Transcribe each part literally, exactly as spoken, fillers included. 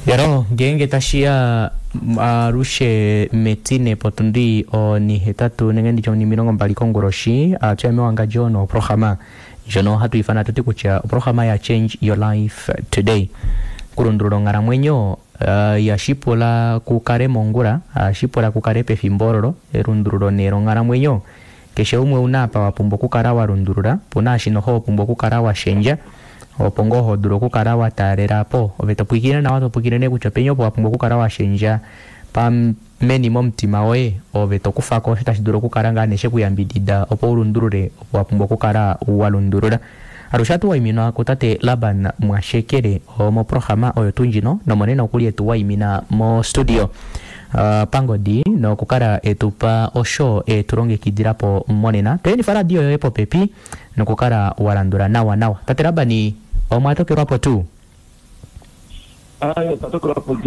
Yaro ngeenge tashiya alushe metine potundi onihetatu nenge nditye onimilongo mbali konguloshi atya mewangandjo noprograma ndjono hatu ifana tuti kutya oprograma ya Change Your Life Today. Kulundulula onghalamwenyo uh, yashipula kukale mongula, ashipula kukale pefimbo ololo elundululo nee longhalamwenyo keshe umwe una apa wapumbwa okukala walundulula, puna ashino ho wapumbwa okukala washendja opo ngoo ho dulu okukala wa taalela po ove topwikine nawa topwikine nee kutya openi opo wapumbwa okukala washendja pameni momutima woye ove tokufako osho tashi dulu okukala ngaa nee shekuyambidida opo ulundulule opo wapumbwa okukala walundulula. Alushe ohatu waiminwa kutate Laban Mwashekele moprograma oyo tuu ndjino nomonena okuli etu waimina mo studio uh, pangodi nokukala etupa osho etulongekidilapo monena. Toyenifa radio yoye popepi nokukala walandula nawa nawa. Tate Labani omwatokelwapo tuu? Ayo, tatokelwapo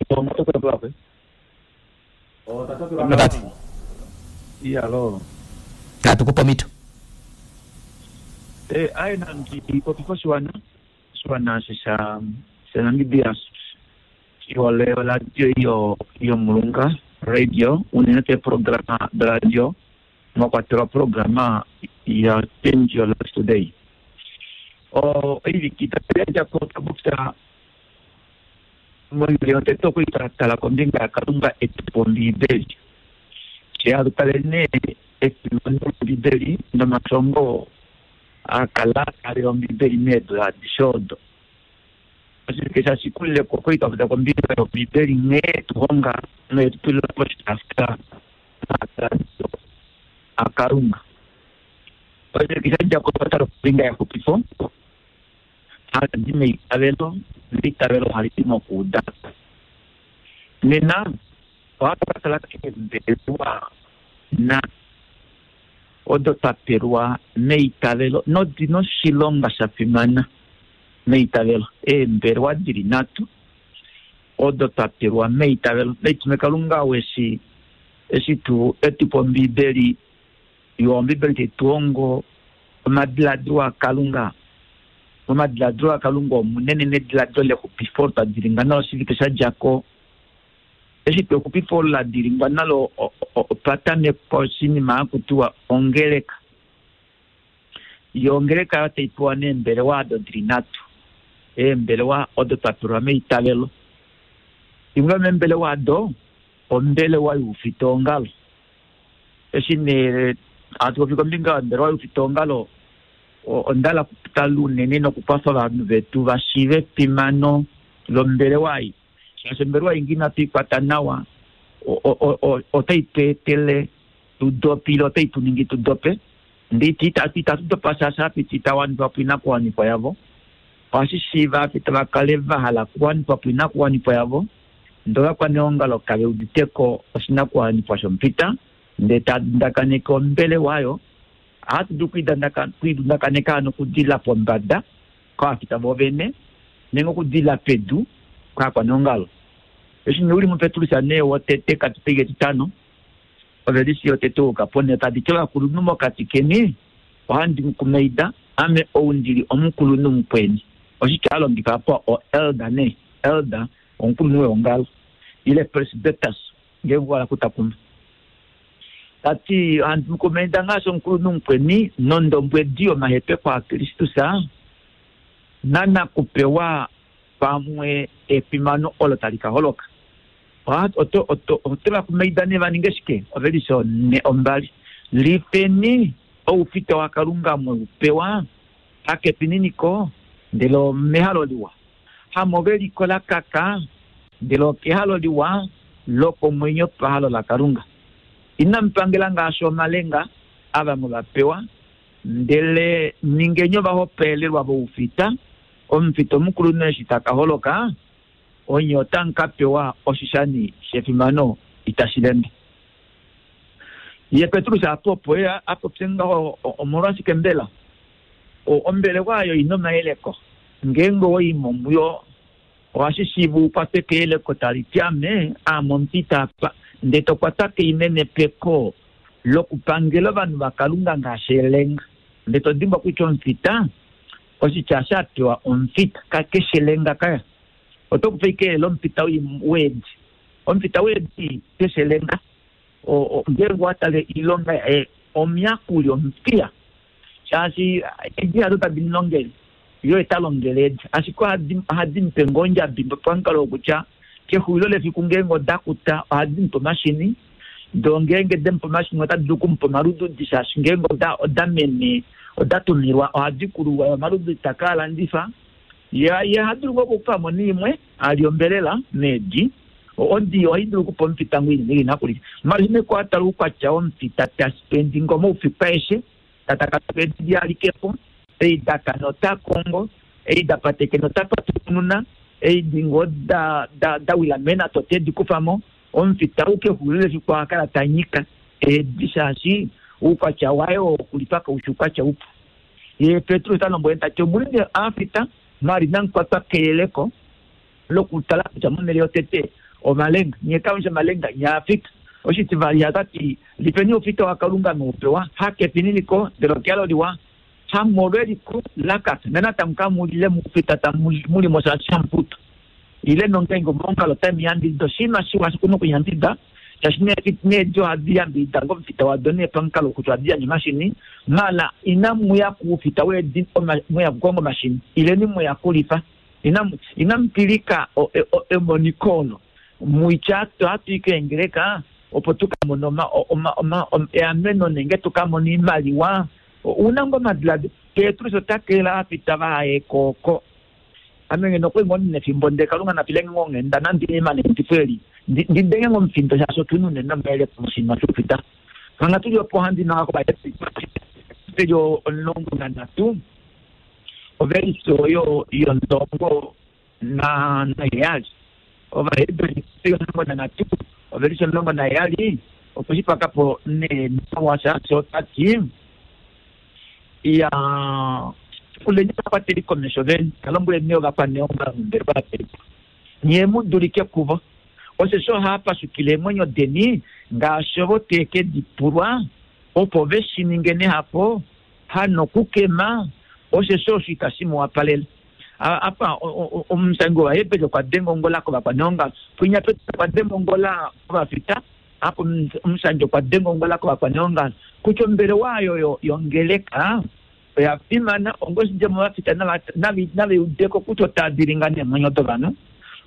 omwatokelwapo. Tate. Iya lo. Natukupa omito. Eh, aye nandi popifa oshiwana, oshiwana sha sha Namibia shihole oradio iyo yomulunga radio unene tuu eeprograma doradio mwa kwatelwa programa ya Change Your Life Today. Oiviki itatu yadjako otwa popya moivili yotete okwali twatala kombinga yaKalunga etupa Ombiibeli. She hatutale nee efimano lOmbiibeli nomashongo akala ali Ombiibeli meedula adishe odo. Oshivike sha shikulileko okwali twapopya kombinga yOmbiibeli nghee tuhonga noyetutulila poshitaafula omadiladilo aKalunga. Oshivike shadjako otwa tala kombinga yexupifo hali di meitavelo, neitavelo hali di mokuuda. Nena ohatu ka tala keembelewa na odo twa pelwa meitavelo nodi noshilonga sha fimana meitavelo. Eembelewa dili nhatu odo twa pelwa meitavelo. Naitume Kalunga weshi eshi tu etupa Ombiibeli, yo Ombiibeli taituhongo omadiladilo aKalunga. Omadiladilo aKalunga omunene nediladilo lexupifo twa dilinga nalo oshivike sha djako. Eshi tu exupifo la dilingwa nalo otwa tamekwa oshinima hakutiwa ongeleka. Yo ongeleka oyo taipewa neembelewa odo dili nhatu. Eembelewa odo twa pelwa meitavelo. Imwe yomeembelewa odo ombelewa youfitaongalo. Eshi nee hatu popi kombinga yombelewa youfitaongalo, onda hala okutala unene nokukwafa ovanhu vetu va shiive efimano lombelewa ei. Shaashi ombelewa ei ngee inatu ikwata nawa, otai tu etele tu dope ile otai tu ningi tu dope. Ndee itatu dopa shaashi apiti itawanifa po oinakuwanifwa yavo. Ohashi shiiva apita va kale va hala okuwanifa po oinakuwanifwa yavo, ndee ovakwaneongalo kave uditeko oshinakuwanifwa shomupita, ndee tadundakaneke ombelewa oyo. Ohatu dulu kuidundakaneka hano okudila pombada kovafita vovene nenge okudila pedu kovakwaneongalo. Eshi nee uli muPetrus nee wotete katupege etitano, ovelisi yotete ouka ponhe tadi ti ovakulunhu mokati keni ohandi mu kumaida ame ou ndili omukulunhu mukweni. Oshitya a longifa apa o elder nee, elder omukulunhu weongalo ile presbyters ngeenge wa hala okutakuma. Tati ohandi mu kumaida ngaashi omukulunhu mukweni nondombwedi yomahepeko aKristus nanakupewa pamwe efimano olo tali ka holoka. Ote va kumaida nee va ninge shike? Ovelisi one ombali. Lifeni oufita waKalunga mwe u pewa hakefininiko ndele omehalo liwa, hamoveliko la kaka ndele okehalo liwa lokomwenyo pahalo laKalunga. Inamu pangela ngaashi omalenga ava mwe va pewa, ndele ningeni ovahopaelelwa voufita. Omufita omukulunhu eshi taka holoka, onye otamu ka pewa oshishani shefimano itashi lembe. Ye Petrus apa opo ye a popye ngaho, omolwashike mbela? Ombelewa oyo ina omayeleko. Ngeenge owaimo muyo, ohashi shiiva u kwatwe keyeleko tali ti ame, aame omufita apa, ndee to kwatwa keinenepeko lokupangela ovanhu vaKalunga ngaashi elenga. Ndee to dimbwa kutya omufita, oshitya sha pewa omufita, kakeshe elenga kaya. Oto kupe ike lomufita weedi. Omufita weedi keshe lenga ngeenge watale ilonga yaye omuyakuli omupiya shaashi edi hado tadi mulongele yo etalongele edi ashike ohadi mupe ngoo ondjabi pamukalo wokutya kexulilo lefiku ngeenge odakuta ohadi mupe omashini do ngeenge demupe omashini otadi dulu okumupa omalududi shaashi ngeenge oda mene oda tumilwa ohadi kuluwa omalududi taka landifa ye ohadulu ngoo okukufamo niimwe ali ombelela meedi odi ohai dulu okupa omufita ngoo inene inakulya mali kwatala oukwatya womufita taspendi ngo moufiku aeshe tatakapedi alikepo ei dakana ota kongo ei dapatekena ota patukununa ei dingo da da dawila mena tote dikufamo omufita ukexulilo lefiku ohakala tanyika edi shaashi oukwatya wayo okulipa kaushi oukwatya upu. Ye Petrus talombwele tati omulinde aafita mali namukwatwa keyeleko lokutala kutya monhele yotete omalenga nye kamusha omalenga nyaafita oshitivali hatati lipeni oufita waKalunga noupewa hakefininiko ndele okelo liwa hamolweliko lakaka nanatango kamulile mufita tamulimo shaashi ile nongeenge omongalo tamuyambidida oshinima shiwa shikuna okuyambidida shaashi needi ohadi yambidida ngomufita wado nee pamukalo kutya ohadi yandje omashini mala inamuya kuufita weedi mweya kukonga omashini ileni mweya kulifa inamupilika emoniko olo muitya hatu ikeengeleka opo tukamone eameno nenge tukamone iimaliwa una ngo omadiladilo Petrus ota keela aafita vahaye kooko ame ngeno okwali ngoo ndina efimbo ndele Kalunga napilenge ngoo onghenda nandi imane eli ndidenge ngo omufindo shaashi otuna unene omayele moshinima shoufita manga tuli opo handi manga kovaeli omulongo nanhatu ovelise oyo yomulongo naheyali Ovaheberi omulongo nanhatu ovelise omulongo naheyali opo shipakapo nee shaashi otati ya kuleni vakwateli komesho veni kalombweleni ovakwaneongalo ndele vapelipo nye mu dulike kuvo osheshi ohapashukile eemwenyo deni ngaashi ovo teke dipulwa opo veshi ninge nehafo hanokukema osheshi osho itashi mu wapalele. Apa omusangi wOvaheberi okwa denga ongola kovakwaneongalo pwinya Petrus okwa denga ongola kovafita apo omusangi okwa denga ongola kovakwaneongalo kutya ombelewa oyo yongeleka oya fimana ongoshidjemo vafita naveudeko kutya otadilinga neemwenyo dovanhu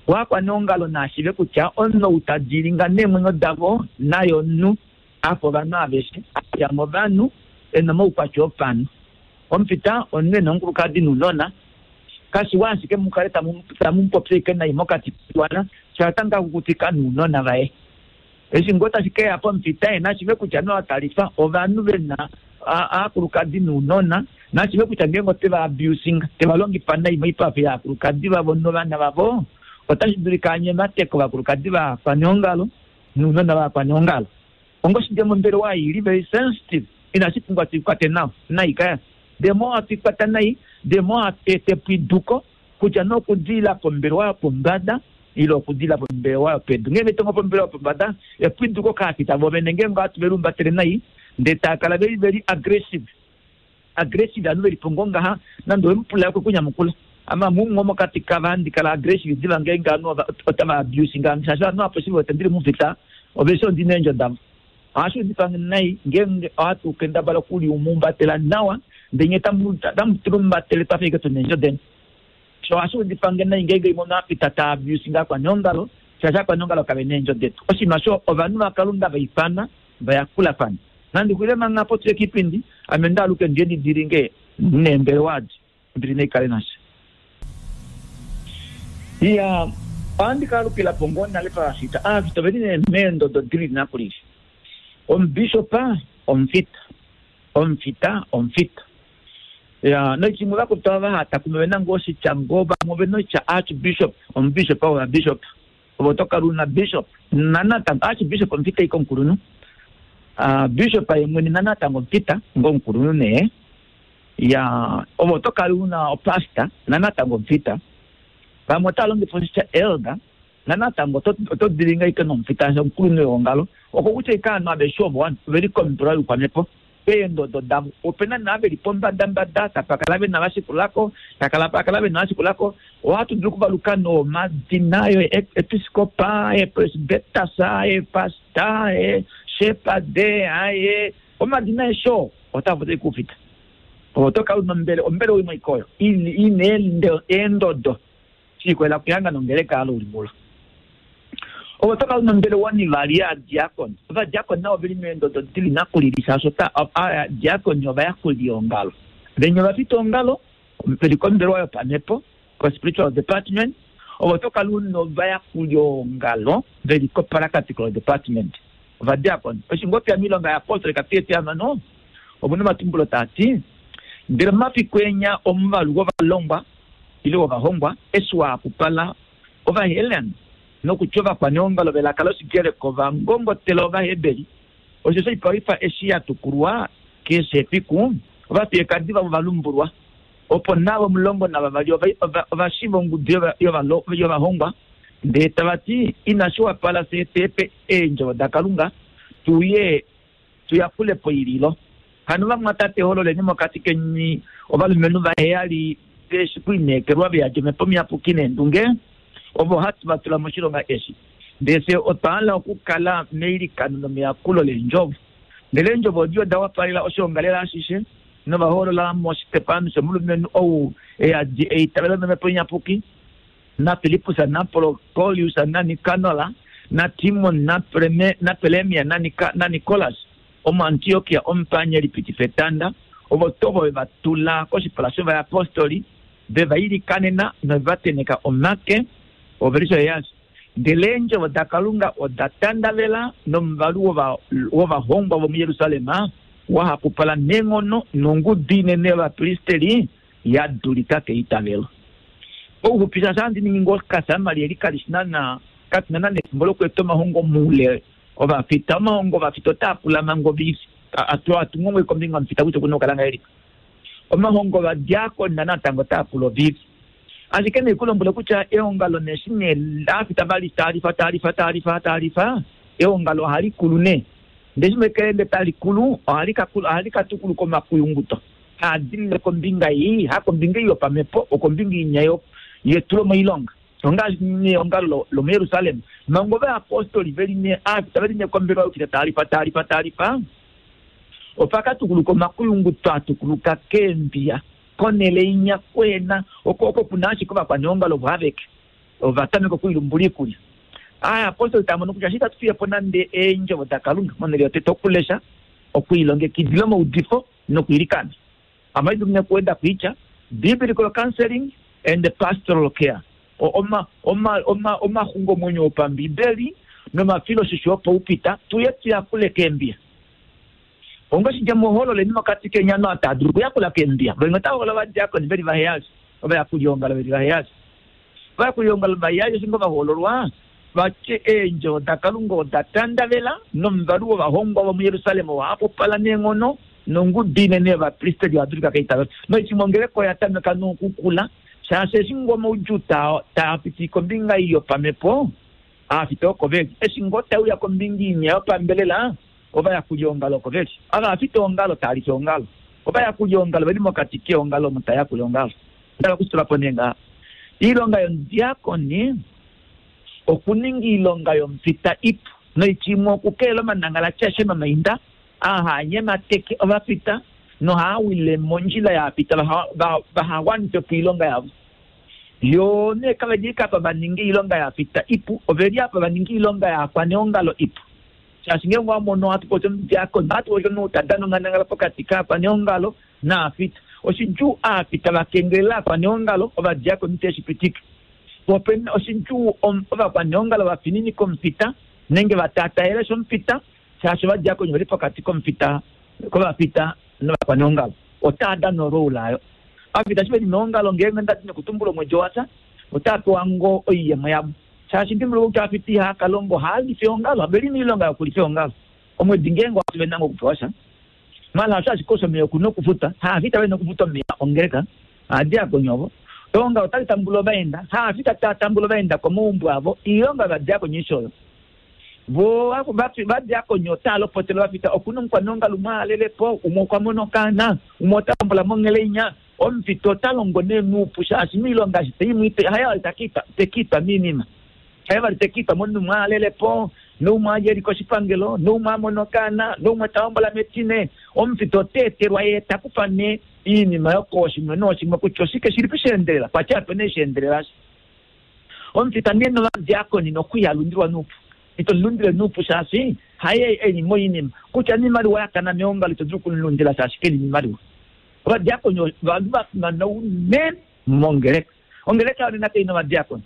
wakwaneongalo naashive kutya omunhu ou tadilinga neemwenyo davo naye omunhu afa ovanhu aveshe ayamo ovanhu ena omaukwatya opanhu omufita omunhu ena omukulukadi nounona kashiwa ashike mukale tamupopya ike nai mokati koshiwana shatanga kukutika nounona vaye eshi ngoo tashi keya pomufita ye nashive kutya noatalifa ovanhu vena aakulukadi nounona nashive kutya ngeenge oteva abusing teva longifa nai moipafi yaakulukadi vavo novana vavo otashi dulika anyemateko ovakulukadi vakwaneongalo nounona vakwaneongalo ongoshidjemo ombelewa ili very sensitive inashi pumbwa tuikwate nawa nai kaya the more hatuikwata nai the more hatu ete epwiduko kutya nokudila pombelewa yopombada ile okudila pombelewa yopedu ngeenge tongo pombelewa yopombada epwiduko kaafita vovene ngeenge ohatu velumbatele nai ndee taakala veli veli aggressive aggressive anu velipo ngoo ngaha nande owemupula yako kunyamukula ama mumwe mokati kavandi kala aggressive diva ngeenge anu otava abusing shaashi ovanhu apo shivo tendili mufita oveshe ondina eendjo davo ohashi udifa nai ngeenge ohatu kendabala okuliumumbatela nawa ndenye tamutulumbatele twafa ike tuna eendjo deni so ohashi udifange nai ngeenge imwe omunhu ta abusing akwaneongalo shaashi akwaneongalo kave na eendjo detu oshinima sho ovanhu vaKalunga vaifana vayakulafana nandi xwile manga apo tuye kiipindi ame ndaaluke ndiye ndidilinge neembelewa adi ombili naikale nasha iya ohandi kaalukilapo ngoo nale pavafita aafita oveli nee meendodo dili nakulili omubishopa omufita omufita omufita ya nochimwe vakuta vahata kumwe vena ngoo oshitya ngoo vamwe ovena oshitya archbishop omubishop ovabishop ovo tokala una bishop nanatango archbishop omufita ike omukulunhu bishop ye mwene nanatango omufita ngoo omukulunhu nee ya ovo tokala una opastor nanatango omufita vamwe otava longifa oshitya elder nanatango oto dilinga ike nomufita omukulunhu weongalo oko kutya ike ovanhu aveshe ovo oveli kombelewa youkwamepo Peendodo davo opena naa veli pombadambada tapakala vena vashikulako takala pakala vena vashikulako ohatu dulu okuvaluka nomadina yo episcopa epresbetas epasta eshepade aye omadina esho otava dulu kufita oto kala una ombele ombele oimwe ikoyo ine eendodo shikwela kuyanga nongeleka alo uli mulo ovo toka una ombele wanivali yaadiakoni ovadiakoni navo veli meendodo dili nakulili shaashi aadiakoni ovayakuli ongalo venye ovafita ongalo veli kombelewa yopamhepo ko-spiritual department ovo tokala una ovayakuli ongalo veli ko-practical department ovadiakoni oshingopi miilonga yaapostoli kapiti amano omuna omatumbulo taati ndele omafiku enya omuvalu wovalongwa ile wovahongwa eshi waapupala ovahelen nokutya ovakwaneongalo velaka loshigereko vangongotela ovaheberi osho oipalwifa eshi ya tukulwa keshe efiku ovafiyekadi vavo valumbulwa opo navo omulongo navavali ovashiva ongudu yovahongwa ndee tava ti inashi wapala fye tepe eendjovo dakalunga tuye tuyakule po ililo hano vamwatate hololeni mokati keni ovalumenhu vaheyali veshi kuineekelwa veyadi omhepo miyapuki neendunge ovo hatu va tula moshilonga eshi ndee fye otwa hala okukala meilikano nomeyakulo leendjovo ndele eendjovo odi oda wapalela oshiongalele ashishe novahoolola moshitepanus omulumenhu ou eyadi eitavelo nomhepo iyapuki naFilippus naProkolius naNikanola naTimon naPelemia naNikolas omuAntiokia omupanyeli pitifa etanda ovo tovo veva tula koshipala shovayapostoli veva ilikanena noveva teneka omake ovelisho yeyasho ndele eendjovo dakalunga oda tandavela nomuvalu wovahongwa vomujerusalem wahapupala neenghono nongudu inene yovapristeri ya dulika keitavelo ouxupisa sha ndi ningi ngoo kasamali eli kali shi nana katina nana efimbo lokueta omahongo moule ovafita omahongo ovafita otaa pula manga ovisi atungongwe kombinga omufita kutya okuna okukala ngahelipi omahongo ovadiakoni natango otaa pula ovivi ashike neikulombwele kutya eongalo neshi nee laafita vali taalifa taalifa taalifa taalifa eongalo ohali kulu nee ndee mekelende tali kulu ohali katukuluka omakuyunguto haadilile kombinga ei hakombinga ei yopamhepo okombinga inya yetulo moilonga ongaashi neongalo lomujerusalem manga ovayapostoli veli ne aafita veli ne kombelewa yokita taalifa taalifa taalifa opakatukuluka omakuyunguto atukuluka keembiya konele inya kwena oko oko kuna ashike ovakwaneongalo ovo aveke ovatameka okuilumbula iikulya aayapostoli tamono kutya shi tatu fiyepo nande eendjovo dakalunga monele yotete okulesha okwiilongekidila omaudifo nokwiilikana amaidu nekuweda kuitya biblical counseling and pastoral care oma oma oma omaxungomwenyo opambibeli nomafiloshisho opaupita tuye tuyakule keembiya ongoshidja muhololeni mokati kenyano atadulu okuyakula keembiya venye otahola ovadiakoni veli vaheyali ovayakuli ongalo veli vaheyali ovayakuli ongalo vaheyali oshingo vahoololwa vatye eendjovo dakalunga oda tandavela nomuvalu wovahongwa vomujerusalem wahapupala neenghono nongudu inene yovapristeli vadulika keitavelo noitimo ongeleko oya tameka nokukula shaashi eshi ngo omaudjuu taa piti kombinga ei yopamhepo aafita oko veli eshi ngo tauya kombinga inya yopambelela ovayakuli ongalo oko veli avaafita ongalo taalifa ongalo ovayakuli ongalo veli mokati keongalo omo tayakula ongalo ndala kusitula po nee ngaha iilonga yomudiakoni okuninga iilonga yomufita ipu noitya okukelela omanangala tyashe nomainda ahanyemateke ovafita nohaawile mondjila yaafita vahawanife po iilonga yavo yo nee kaveli kapa vaninga iilonga yaafita ipu oveli apa vaninga iilonga yaakwaneongalo ipu shaashi ngenge wamono hatu popi omudiakoni ohatu popi omunhu tadana onghandangala pokati kaakwaneongalo naafita oshidjuu aafita vakengelela aakwaneongalo ovadiakoni teshipitike opena oshidjuu ovakwaneongalo vafininika omufita nenge vatataele shomufita shaashi ovadiakoni veli pokati komufita kovafita novakwaneongalo otaa dana orole ayo avafita shi veli meongalo ngeenge ndati nokutumbula omwedi wasa otaa pewa ngo oiyemo yavo shaashi ndimbuluka kutya afita ihakalongo haalifa eongalo veli miilonga yokulifa eongalo omwedi ngeenge wasi venanga okupewa sha mala osho ashike osho omeya okuna okufuta haafita vena okufuta omeya ongeleka aadiakoni ovo eongalo otali tambula ovaenda haafita taa tambula ovaenda komaumbo avo iilonga yovadiakoni isho oyo Vo vadiakoni otava lopotele ovafita okuna omukwaneongalo umwe alelepo, umwe okwa mona okaana, umwe ota hombola mongeleinya. Omufita ota longo nee nuupu shaashi miilonga eshi teimwiite haye vali tekiitwa miinima, haye vali tekiitwa momunhu umwe alelepo, noumwe aje eli koshipangelo, noumwe amona okaana, noumwe ta hombola metine. Omufita ota etelwa ye takufa nee iinima yokooshimwe nooshimwe kutya oshike shilipo sheendelela, kwatya ape nee sheendelela. Omufita nee novadiakoni nokwiyalundilwa nuupu, ito lundile nuupu shaashi haye eli moinima kutya niimaliwa yakana meongalo ito dulu okumulundila shaashi keli niimaliwa. Ovadiakoni ovanhu va fimana unene mongeleka. Ongeleka yonena kai na ovadiakoni.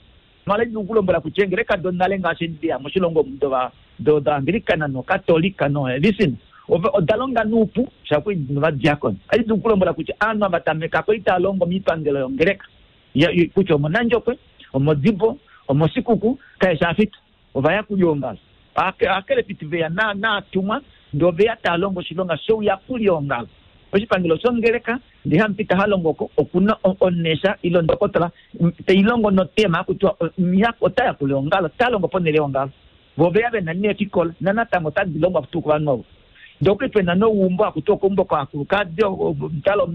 Mala idulu okulombwela kutya eengeleka donale ngaashi ndiya moshilongo omu doAnglikana noKatolika noElysine oda longa nuupu shaku novadiakoni. Ohadi dulu okulombwela kutya aanhu ava tameka ko itaa longo miipangelo yongeleka, kutya omonandjokwe, omodibo, omosikuku, kaeshi afita ovayakuliongalo. Aakelepiti veya naatumwa ndee oveya taa longo oshilonga shouyakuliongalo. Oshipangelo shongeleka ndee hamupita ha longo ko okuna onesha ile ndokotola teilongo notema kutya ota yakula eongalo, ta longo ponhele yeongalo. Vo veya vena neefikola nanatango otadi longwa tuu kovanhu ovo. Ndee okuli pena noumbo akuti okoumbo kovakulukadi, omutalo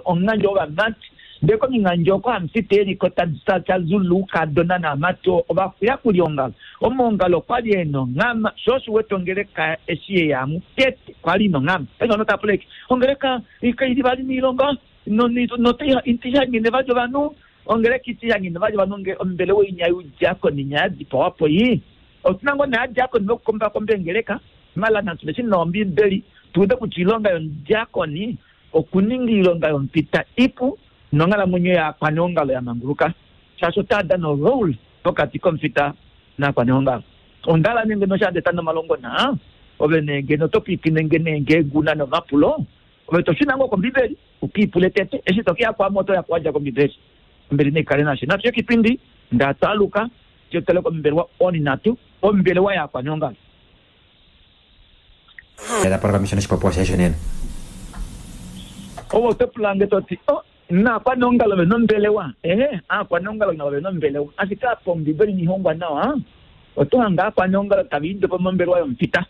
omungandjo wovamati. Ndee komingandjo oko hamufita eliko tazulu oukadona naamati ovayakuliongalo. Omaongalo okwali ena onghama, sho osho uwete ongeleka eshi yeyamu tete kwali ina onghama. Paife ovanhu otava pula ashike ongeleka kaili vali miilonga notiihangene vali ovanhu, ongeleka itiihangene vali ovanhu, ombelewa inya youdiakoni inya yadipawapo ii. Otuna ngoo nee adiakoni vokukombakomba eengeleka, mala natu leshi nawa Ombiibeli tuude kutya oilonga yomudiakoni okuninga oilonga yomupita ipu nonghalamwenyo yaakwaneongalo ya manguluka, shaashi otaa dana orole pokati komufita naakwaneongalo. Ondala nenge noshaadeta nomalongo naa ove nee ngeno oto pwiikine nge nee ngeenge una nomapulo, ove to shuna ngoo kOmbiibeli ukiipule tete, eshi to keya kwaame oto ya kuwadja kOmbiibeli. Ombili naikale nashe. Natu ye kipindi ndatwaluka tetele kombelewa oninatu, ombelewa yaakwaneongalo. Ove oto pula nge to ti, oh, naakwaneongalo ve nombelewa? Ehe, aakwaneongalo navo ve nombelewa. Ashike apa Ombiibeli inihongwa nawa, oto hanga aakwaneongalo tava idopo mombelewa yomufita.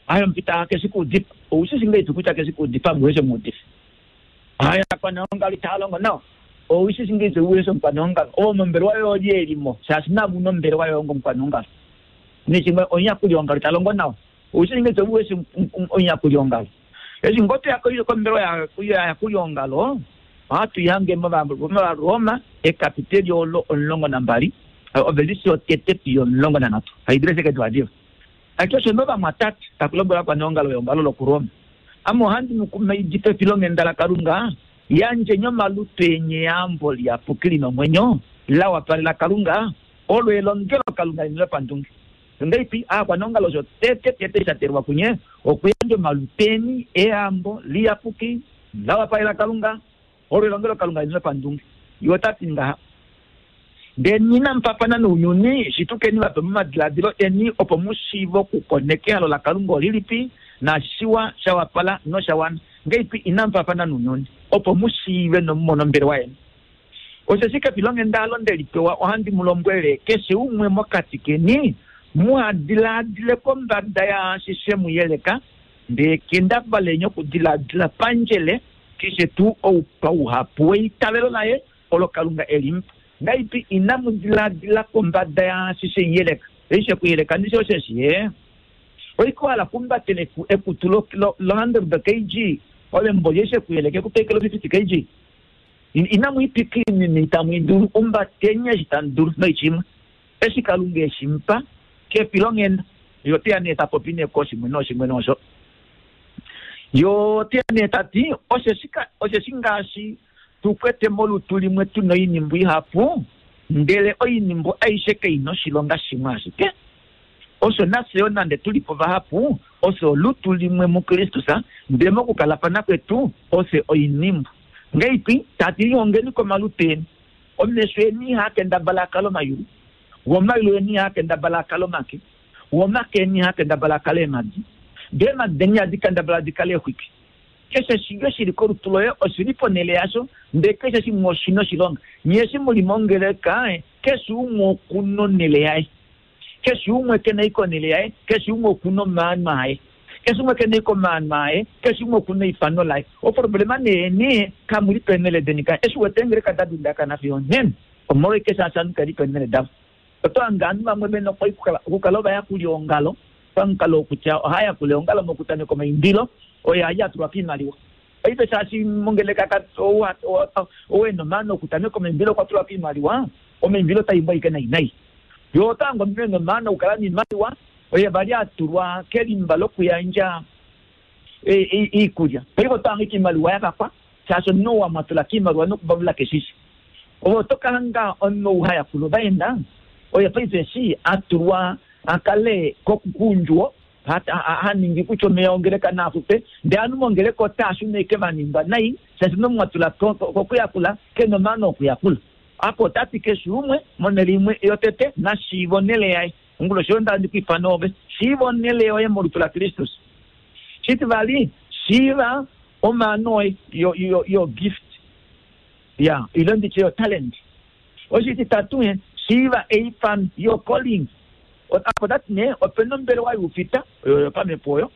Aye, omufita keshi kuudifa. Oushi shi ngahelipi kutya keshi kuudifa muweshe muudifi? Aye, aakwaneongalo itaa longo nawa. Oushi shi ngahelipi uweshe omukwaneongalo? Ovo mombelewa yoye elimo, shaashi navo una ombelewa yoye ongomukwaneongalo. Neshimwe omuyakuliongalo ita longo nawa. Oushi shi ngahelipi uweshe omuyakuliongalo? Eshi ngoo toya kombelewa yovayakuliongalo, ohatu ihange mOvaroma ekapiteli olo omulongo nambali, ovelisi yotete fiyo omulongo nanhatu. Haidile sheke diva. Ati osho novamwatate taku lombwela ovakwaneongalo veongalo lokuRoma, ame ohandi mu kumaidifa efilonghenda laKalunga, yandjeni omalutu eni eyambo liyapuki li nomwenyo, la wapalela Kalunga, olo elongelo Kalunga leni lopandunge. Ngahelipi aakwaneongalo osho tete tete sha telwa kunye okuyandja omalutu eni eyambo liyapuki la wapalela Kalunga, olo elongelo Kalunga leni lopandunge. Ye ota ti ngaha, ndee inamu fafana nounyuni, shitukeni vape momadiladilo eni opo mu shiive okukoneka ehalo laKalunga olilipi, naashiwa sha wapala nosha wana. Ngahelipi inamu fafana nounyuni opo mu shiive nomumone ombelewa yeni. Osheshi kefilonghenda alo nde li pewa ohandi mu lombwele, keshe umwe mokati keni muha diladile kombada yaashi she mu yeleka, ndee kendabaleni okudiladila pandjele keshe tuu ou pauhapu weitavelo laye olo Kalunga e li mupa. Ngahelipi inamu diladila kombada yaashi she mu yeleka? Eshi she ku yeleka ndishi osheshi ye oiko hala kumbatele ekutu lo hundred kg, ove mboli eshi ku yeleka ekupekelo fifty kg. Inamu ipika inini itamu idulu, umbateni eshi tamu dulu noichimwe. Eshi Kalunga eshi mupa kefilonghenda. Yo oteya nee ta popi nee koshimwe noshimwe nosho. Yo oteya nee ta ti, osheshi ngaashi tu kwete molutu limwe tu noinimbu ihapu, ndele oinimbu aishe kai noshilonga shimwe ashike. Osho nafye yo nande tuli po vahapu, ofye olutu limwe muKristus, ndele mokukalafana kwetu ofye oinimbu. Ngahelipi tati lihongeni komalutu eni, omesho eni ihaa kendabala akale omayulu, womayulu eni ihaa kendabala akale omake, womake eni ihaa kendabala akale eemhadi, ndee eemhadi deni ihadi kendabala di kale exwiki. Keshe shimwe shili kolutu loye oshili ponhele yasho, ndee keshe shimwe oshina oshilonga. Nye eshi muli mongeleka, keshe umwe okuna onhele yaye. Keshe umwe kena ikonele yaye, keshe umwe okuna omaano aye. Keshe umwe kena ikomaano aye, keshe umwe okuna eifano laye. Oproblema nee nee kamuli penele denika. Eshi wete ngeleka dadundakana fiyo nena. Omolweke shaashi kali penele davo. Oto hanga ovanhu vamwe vena okukala ovayakuli ongalo, pamukalo wokutya ohayakula eongalo mokutameka omaimbilo, oye ali atulwa kiimaliwa. Paife shaashi mongeleka owena omaano okutameka omaimbilo okwa tulwa kiimaliwa, omaimbilo otaimbwa ashike nai nai. Yo oto hanga omunhu ena omaano okukala noimaliwa, oye vali atulwa kelimba lokuyandja iikulya. Paife oto hanga iimaliwa yavakwa, shaashi omunhu ou mwatula kiimaliwa nokuvavula keshishe. Ove oto kahanga omunhu ou hayakula ovaenda, oye paife eshi atulwa akale kokuundjuwo, haningi kutya omeya ongeleka naafupe, ndele ovanhu mongeleka otaashuna eke vaningwa nai, shaashi omunhu mwatula kokuyakula kena omaano okuyakula. Apo otati keshe umwe monhele imwe yotete nashiiva onhele yaye. Onguloshi oyo ndandi kwiifana ove, shiiva onhele yoye molutu laKristus. Shitivali, shiiva omaano oye, yo gift ya ile nditye yo talent. Oshititatu, shiiva eifano, yo calling. Apo otati nee opena ombelewa youfita oyo yopamhepo oyo,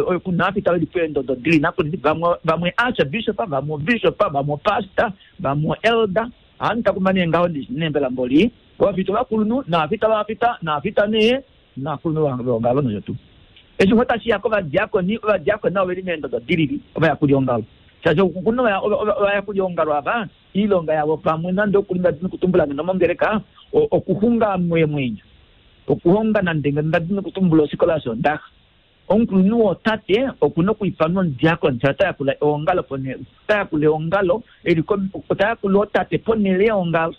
oyo kuna aafita veli peendodo dili nakuli, vamwe vamwe archbishop, vamwe bishop, vamwe pastor, vamwe elder. Ohandi takuma nee ngaho nembela mboli ovafita ovakulunhu naafita vavafita naafita nee naakulunhu veongalo nosho tuu. Eshi ngo tashiya kovadiakoni, ovadiakoni navo oveli meendodo dilili, ovayakuli ongalo. Shaashi okuna ovayakuli ongalo ava iilonga yavo pamwe nande okulinga nokutumbula ngeno mongeleka okuxunga eemwenyo, okuhonga nande ndadi nokutumbula ofikola yosondaxa. Omukulunhu wotate okuna okwiifanwa omudiakoni, shaashi ota yakula eongalo ponhele, ota yakula eongalo eli ota yakula otate ponhele yeongalo.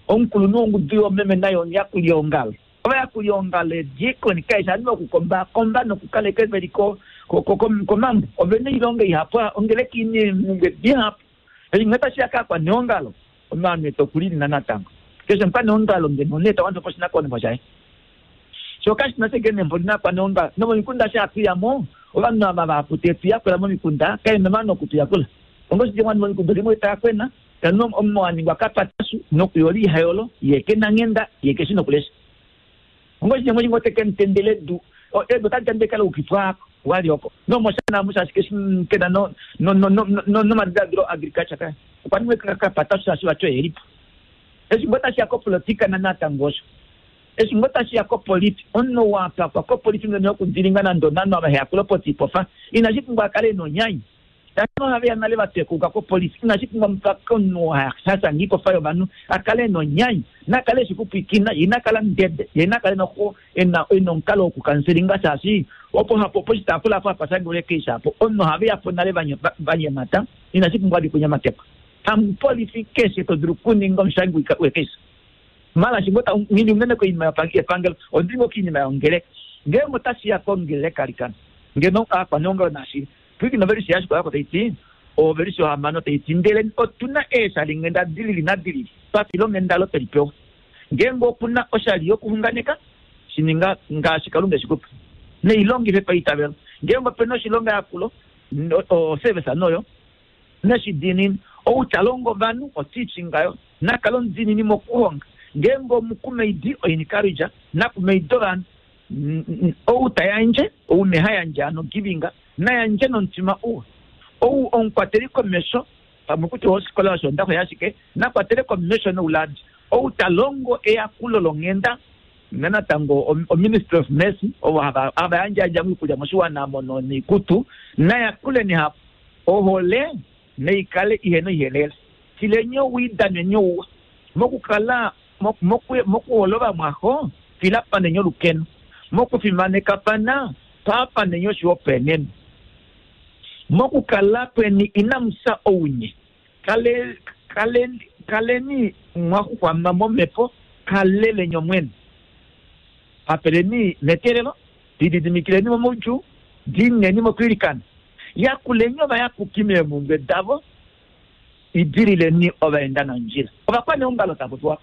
Omukulunhu wongudu yoomeme naye omuyakuli eongalo. Ovayakuli eongalo eediakoni kaishi ovanhu vokukombakomba nokukaleka veli komambo. Ovena oilonga ihapu, ongeleka ina eemhumbwe dihapu. Eshi nghee tashiya kaakwaneongalo, omaano etu okulilina natango. Keshe omukwaneongalo ngeno nee tawanifa po oshinakuwanifwa shaye. Sho kashina ashike nembo lina akwaneongalo. Nomomikunda eshi hatuyamo, ovanhu ava vahapu tetuyakula momikunda, kaena omaano okutuyakula. Ongoshike mwana momikunda limwe taakwena, tanu omunhu aningwa kapatashu nokuyola ihayolo, ye kena nghenda, ye keshi nokulesha. Ongoshike mwe ngote kemutendele edu, edu otali tandele kala ukifwa wali oko. Nomoshana amushe ashike kena no no no no nomadiladilo agriculture kaya. Okwa ningwa kapatashu shaashi vati oye elipo. Eshi ngo tashiya kopolitika natango osho. Eshi ngo tashiya kopoliti, omunhu wapakwa kopoliti ngeno yokudilinga nande onanhu ava heyakula potipofa, inashi pumbwa akale ena onyanya. Shaashi ohaveya nale vatekuka kopolisi, inashi pumbwa mupake omunhu hashanga ipofa yovanhu akale ena onyanya, nakale eshi kupwikina, ye inakala mudede, ye inakale noho ena ena omukalo wokukanselinga shaashi opo hapo poshitaafula apo hapa shangelwa ekeisha apo, omunhu ohaveya po nale vanyemata, inashi pumbwa vali kunyamatekwa. Hamupolifi keshe to dulu okuninga omushangi wekeisha. Mala shingo ta ngili unene koinima yepangelo, ondili ngo koinima yongeleka. Ngeenge otashiya kongeleka likana, ngeno aakwaneongalo nashi pwikina ovelisi yashikola yako taiti, ovelisi yohamano taiti, ndele otuna eeshali nghenda dilili nadilili, twafila onghenda olo tweli pewa. Ngeenge okuna oshali yokuxunganeka, shininga ngaashi Kalunga eshikupa, neilongife paitavelo. Ngeenge opena oshilonga yakulo, oservice noyo, neshidiinini, ou ta longo ovanhu, oteaching ayo, nakale omudiinini mokuhonga. Ngeenge omukumaidi, oencourage, nakumaida ovanhu. Ou ta yandje, ou neha yandje ano giving, nayandje nomutima uwa. Ou omukwateli komesho, pamwe kutya ofikola yosondaxa yashike, nakwatele komesho nouladi. Ou ta longo eyakulo longhenda, natango o Ministry of Mercy, ovo hava yandjayandja moikulya moshiwana mono noikutu, nayakule nehapu. Ohole neikale ihena oihelele. Tileni owii, daneni ouwa. Mokukala mokuhola ovamwaxo, filapaneni olukeno. Mokufimanekafana, paafaneni oshihopaenenwa. Mokukala kweni inamu fya ounye. Kale kale kaleni mwaxuxwama momhepo, kaleleni Omwene. Hafeleni meteelelo, lididimikileni momaudjuu, diineni mokwiilikana. Yakuleni ovayapuki meemhumbwe davo, idilileni ovaenda nondjila. Ovakwaneongalo tapopiwa.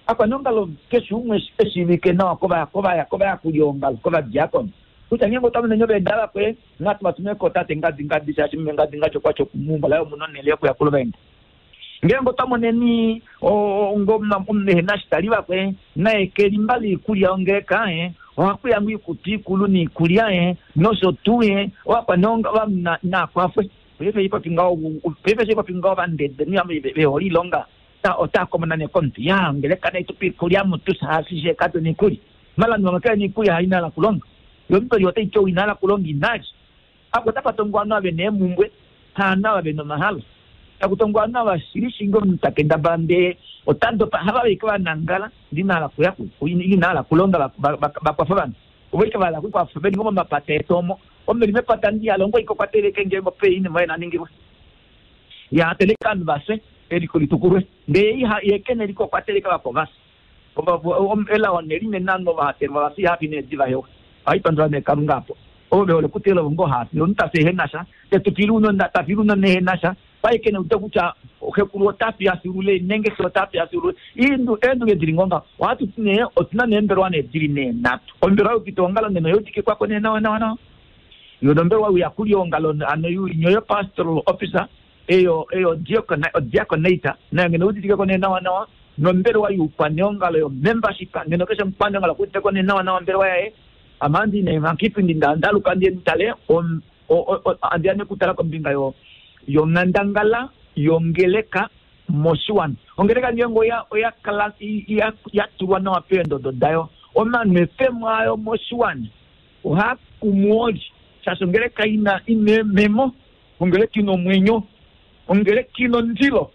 Akwaneongalo keshe umwe eshiivike nawa kovayakuli ongalo, kovadiakoni. Kutya ngeenge otamu ovaenda vakwe, natu vatume ko tate ngadi ngadi shaashi meme ngadi ngadi okwa tya okumuumbo laye omuna onhele yokuyakula ovaenda. Ngeenge otwa moneni omunhu shitali vakwe naye kelimba liikulya ongeleka e ohakuya ngo ikutu ikulu niikulya e nosho tuu e ovakwaneongalo nakwafwe paife ipopi ngaho paife ipopi ngaho vandede vehole ilonga otakomona nekomuntu ya ongeleka naitupa iikulya mutu saasishe katu niikulya malandu vamwe kele niikulya hainala kulonga yombeli otaiti ou inala kulonga inali apo otapa tongwa ovanhu ave neemumbwe haana ave nomahalo takutongwa ovanhu ava shilishingi omunhu takendabala ndee otadopa hava ike vanangala ndinahala kuya inahala kulonga vakwafa ovanhu ovo ike vahala kukwafa veli ngo momapata etu omo omeli mepata ndiyalongo ike okwateleke ngeenge ope inima oye naningilwe ya teleka ovanhu vafye eliko litukulwe ndee yekene eliko okwateleka vako vafye elao nelinene ovanhu vahatelwa vafye ihafi needi vahewa ohaipandula nee Kalunga apo ovo vehole kutela ovo ngo hafi omuntu tafi ehenasha tetupili unona tafili unona ehenasha paikene ute kutya xekulu otafi afilule nenge xe otafi afilule eendunge dili ngonga ohatu ti nee otuna neembelwa nee dili nee nhatu ombelwa youpita ongalo neno youtike kwako nee nawa nawa nawa yo nombelwa youyakuli ongalo ano nyoyo pastoral officer eyo eyo diaconata nayo ngeno utitikeko nee nawa nawa nombelwa youkwaneongalo yo membership ngeno keshe omukwaneongalo okuuditeko nee nawa nawa ombelwa yaye amandi ne makipindi ndaluka ndiye ntale andiane kutala kombinga yo yonghandangala yongeleka moshiwana ongeleka ngeenge oya oya kala ya tulwa nawa peendodo dayo omanwefemo ayo moshiwana ohakumu oli shaashi ongeleka ina ina ememo ongeleka ina omwenyo ongeleka ina ondilo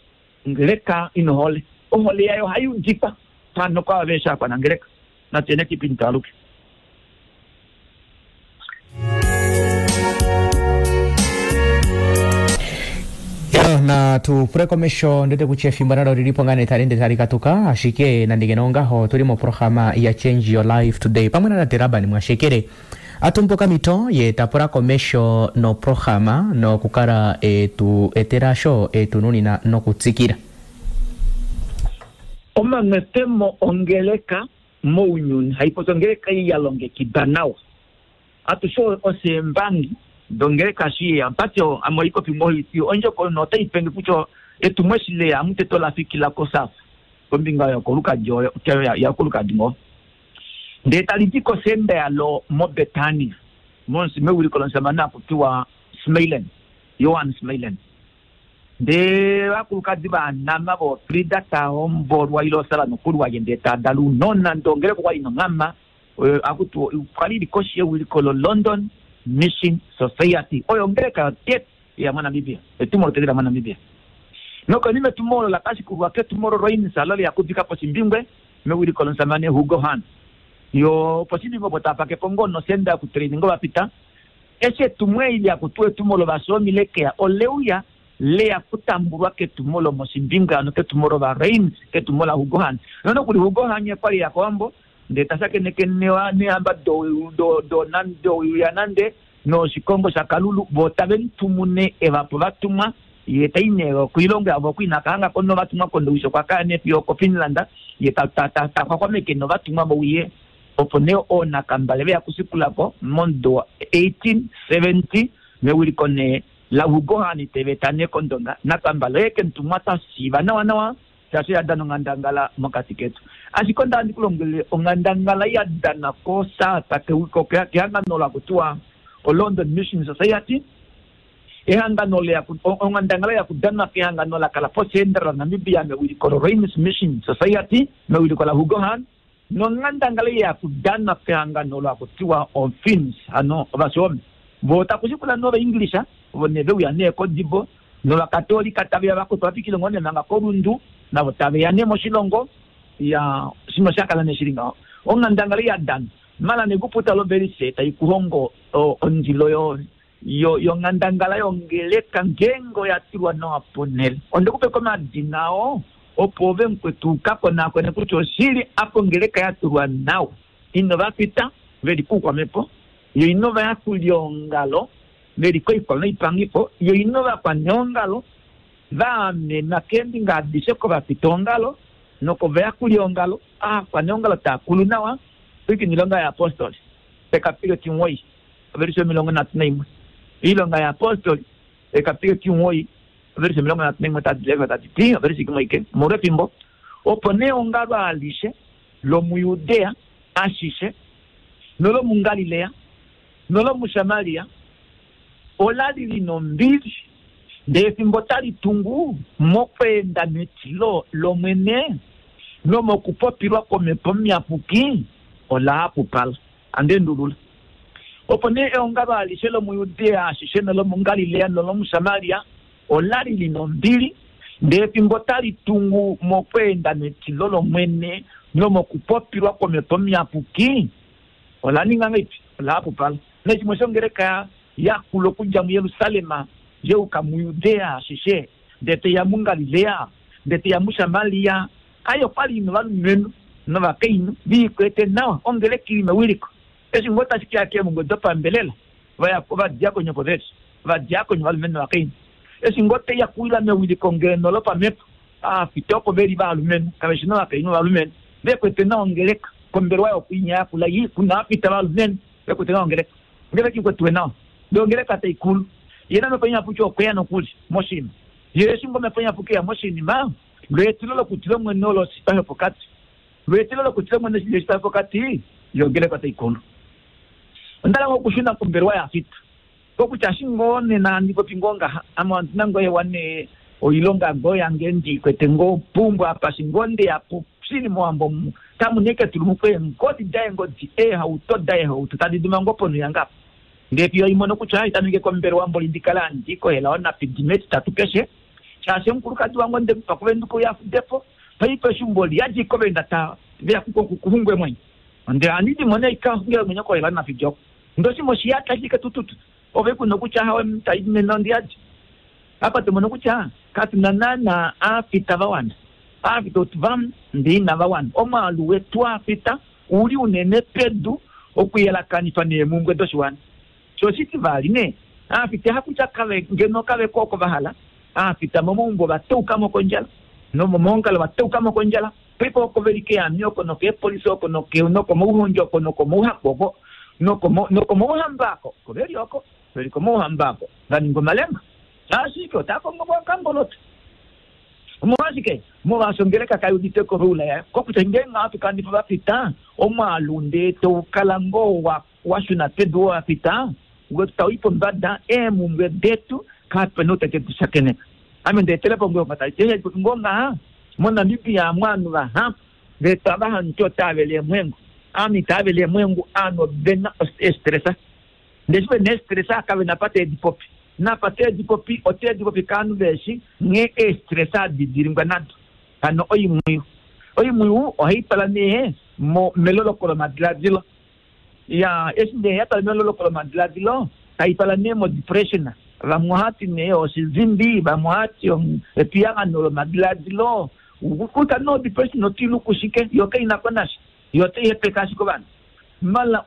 ongeleka ina ohole ohole yayo ohayi udikwa pano kwava veesha akwanangeleka natuyene kipindi twaluke. Na tupule komesho ndete kutya efimbo nalo lilipo ngane talende talikatuka ashike nandike nongaho tuli moprograma ya Change Your Life Today pamwe na tate Laban Mwashekele atumbuka mito ye tapula komesho noprograma nokukala etu eterasho etununina nokutsikila omanwefemo ongeleka mounyuni haipopi ongeleka ei ya longekidwa nawa atushe oseembangi dongeleka shi mpati amoikopi moiti ondjoko notaipenge kutya etumwe eshi leya amuteto lafikila kosafa kombinga yokolukadi yakolukadi ngo ndee tali di kosenda yalo mobetania monsi mewiliko lomusamane akutiwa Smailen Johan Smailen ndee vakulukadi vanama vofrida tahombolwa ile osala nokulu waye ndee tadala unona ndongeleko kwali nonghama akuti kwali ili koshi yewiliko lo London Mission Society oyo ongeleka yotete ya mwaNamibia etumo lotete la mwaNamibia nokonima etumo olo lakashikulwa ketumo olo loinisa lolo yakudika poshimbingwe mewiliko lomusamane Hugo Hahn yo poshimbingwe opo tapakepo ngoo nosenda yokutraining vapita eshi etumo eli lyakutuwa etumo lovasomi lekeya oleuya leya kutambulwa ketumo lomoshimbingwe ano ketumo lova Rains ketumo la Hugo Hahn nonokuli Hugo Hahn okwali ya kowambo ndee tashakeneke nehamba do nande noshikongo shakalulu vo tavemutumune evapo vatumwa ye tai nee koilongo yavo okuinakahangako novatumwa kondowishi okwakaya nee fiyo koFinland ye taxwaxwameke novatumwa vouye opo nee oonakambale veya kusikulako momudo wa eighteen seventy mewiliko nee la Hugo Hahn teveta nee kondonga nakambale oye kemutumwa tashiiva nawa nawa shaashi yadana onghandangala mokati ketu ashike onda handi kulongele onghandangala yadana kosaata kehangano lakutiwa o London Mission Society ehangano onghandangala yakudanwa kehangano lakala posenda la Namibia mewiliko lo Rains Mission Society mewiliko la Hugo Hahn nonghandangala yakudanwa kehangano lakutiwa oFinns ano ovashomi vo takushikula nova English vo ne veuya nee kodibo novakatolika taveya vakutwa vafikile ngoo nemanga kolundu navo taveya nee moshilongo ya shino shakala nee shili ngaho onghandangala yadana mala nekuputa lovelise taikuhongo ondilo yo yo yonghandangala yongeleka ngeenge oya tulwa nawa ponele ondekupeka omadina oo opo ove mukwetu ukakonakone kutya oshili apo ongeleka yatulwa nawa ino vapita veli kuukwamepo yo ino vayakuli ongalo veli koikwa noipangifo yo ino vakwaneongalo vaamenwa keembinga adishe kovapita ongalo nokovayakuli ongalo aakwaneongalo taakulu nawa pwikini ilonga ya apostoli ekapilo timuwoi overisi omilongo nhatu naimwe iilonga ya apostoli ekapilo timuwoi Overse omilongo nhatu naimwe tadi ti overse imwe ike omolwefimbo. Opo nee eongalo alishe lomuJudea ashishe nolomuGalilea nolomuSamaria ola li lina ombili, ndee efimbo tali tungu mokweenda metilo lOmwene nomokupopilwa kwOmhepo Muyapuki ola hapupala. Andeendulula. Opo nee eongalo alishe lomuJudea ashishe nolomuGalilea nolomuSamaria ola li lina ombili, ndee efimbo tali tungu mokweenda metilo lOmwene nomokupopilwa kwOmhepo Muyapuki ola ninga ngahelipi? Ola hapupala. Neshimwe shongeleka yakula okudja muJerusalem yeuka muJudea ashishe, ndee teya muGalilea, ndee teya muSamaria. Ai okwali ina ovalumenhu novakainhu viikwete nawa, ongeleka ili mewiliko. Eshi ngoo tashi keya keemhumbwe dopambelela, ovadiakoni opo veli, ovadiakoni ovalumenhu novakainhu. Eshi ngoo teya kuwila mewiliko ngeno lopamhepo, aafita opo veli valumenhu, kaveshi novakainhu ovalumenhu vekwete nawa ongeleka. Kombelewa yokuinya yakula i kuna aafita valumenhu vekwete nawa ongeleka. Ongeleka ikwetiwe nawa, ndee ongeleka taikulu. Ye na Omhepo Iyapuki okweya nokuli moshinima. Ye eshi ngoo Omhepo Iyapuki eya moshinima, lweetilo lokutila Omwene olo oshipa shopokati. Lweetilo lokutila Omwene oshipa shopokati, yo ongeleka taikulu. Onda hala okushuna kombelewa yaafita. Kokutya eshi ngoo nena handi popi ngoo ngaha, ame ondina ngoo ewa nee oilonga ngoo yange ndiikwete ngoo pumbwa apa shi ngoo ndeya po shili mowambo omu, tamu neke tulumukwe eengodi daengodi, eehauto daehauto tadi duma ngoo ponhu yange apa. Ndee fiyo imono kutya itameke kombelewa mboli ndikale handi kohela onapidi metitatu keshe, shaashi omukulukadi wange onde mupa kuvenduka uye afudepo, paife eshi mboli yadja kovenda ta veya kuxungwe mwenyo. Ndee handi dimone ika xungile mwenyo kohela onapidi oko. Ndoshimwe oshiyata ashike tututu. Ove kuna kutya hawe tai nena ondiyadi. Apa tomono kutya katuna naana aafita vawana. Aafita otuvamu ndee inava wana. Omwaalu wetu aafita uli unene pedu okuyelakanifa neemhumbwe doshiwana. Sho oshitivali nee, aafita hakutya kave ngeno kave ko oko vahala, aafita momaumbo vatoukamo kondjala, nomomaongalo vatoukamo kondjala. Paife oko veli keami oko nokeepolisi oko nokomauhondjo oko nokomauhaku oko nokomauhamba ako. Oko veli oko, veli komauhamba ako vaninga omalenga. Ashike otakongo kangoloto. Omolwashike? Molwaashi ongeleka kai udite ko roula yayo. Kokutya ngeenge ohatu kanifa vafita, omwaalu ndee toukala ngoo washuna pedu wafita, wetu tau i pombada, eemhumbwe detu kapena ou tete tushakeneka. Ame ndeetele po ngoo ngoo ngaha, moNamibia amu ovanhu vahapu ndee tava hamuti otava vele eemwengu. Ame itava vele eemwengu, ovanhu ovena estresa. Ndee eshi vena estresa kavena pa teedi popi. Napa teedi popi, oteedi popi kaanhu veeshi nghee eestresa hadi dilingwa nado. Hano oimwiyu. Oimwiyu ohai twala nee meloloko lomadiladilo. Ya, eshi nee ya twala meloloko lomadiladilo, tai twala nee mo-depression. Vamwe ohati nee oshizimbi, vamwe ohati epiyagano lomadiladilo. Kutya nee o-depression otilu kushike, yo kaina ko nasha. Yo otai hepeke ashike ovanhu. Mala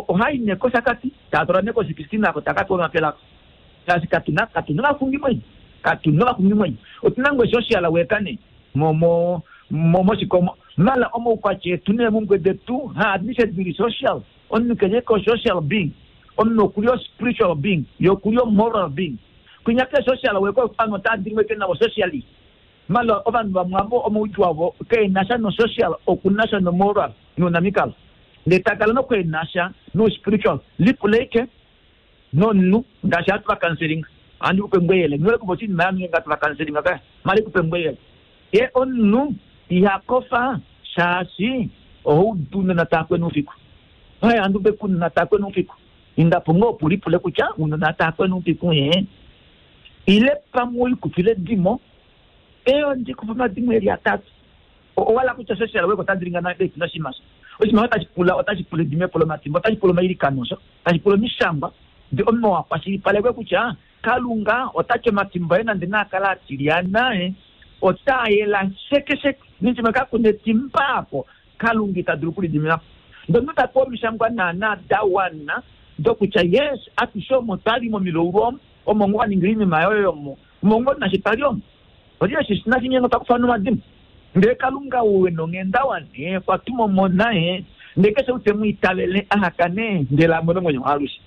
ohai nee koshakati, taa twala nee koshikristina ako taka pewa omapela ako. Shaashi katuna katuna ovaxungimwenyo. Katuna ovaxungimwenyo. Otuna ngoo social worker nee mo mo moshikomo. Mala omaukwatya etu neemhumbwe detu haadishe dili social. Omunhu keshe ko social being. Omunhu okuli o spiritual being, ye okuli o moral being. Kwinya ke social worker ovanhu otava dili ke navo socially. Mala ovanhu vamwe avo omaudjuu avo keenasha no social, okunasha no moral nounamikalo. Ndee takala nokweenasha no spiritual. Lipuleke nomunhu ngaashi hatu vakanselinga. Ohandi kupe ngweyele. Nghole kupa oshinima yange ngatu vakanselinga kaya. Mali kupe ngweyele. Ye omunhu iha kofa shaashi ohaudu unona takwena oufiku. Hai handi kupe kunona takwena oufiku. Indapo ngoo opo ulipule kutya unona takwena oufiku ee. Ile pamwe oikufile edimo, ee ndikufa omadimo eli atatu. Owala kutya social work ota dilinga na noshinima sho. Oshinima otashi pula otashi pula edimepo lomatimba, otashi pula omailikano sho, otashi pula omishangwa. Ndee omunhu wakwashilipalekwe kutya Kalunga otati omatimba aye nande naakala atilyana e, otaa yela sheke sheke. Nishimwe kakuna etimba apo, Kalunga ita dulu okulidimina po. Ndee omunhu tapewa omishangwa naana da wana dokutya yes, atushe omo twali momilaulu omo, omo ngoo waningila oinima yoye omo, omo ngoo nashi twali omo. Olye shi nashinyengo twakufa nomadimo. Ndee Kalunga ou ena onghenda wane, okwa tuma omona ye, ndee keshe ou te mu itavele ahakane, ndele amone omwenyo waalushe.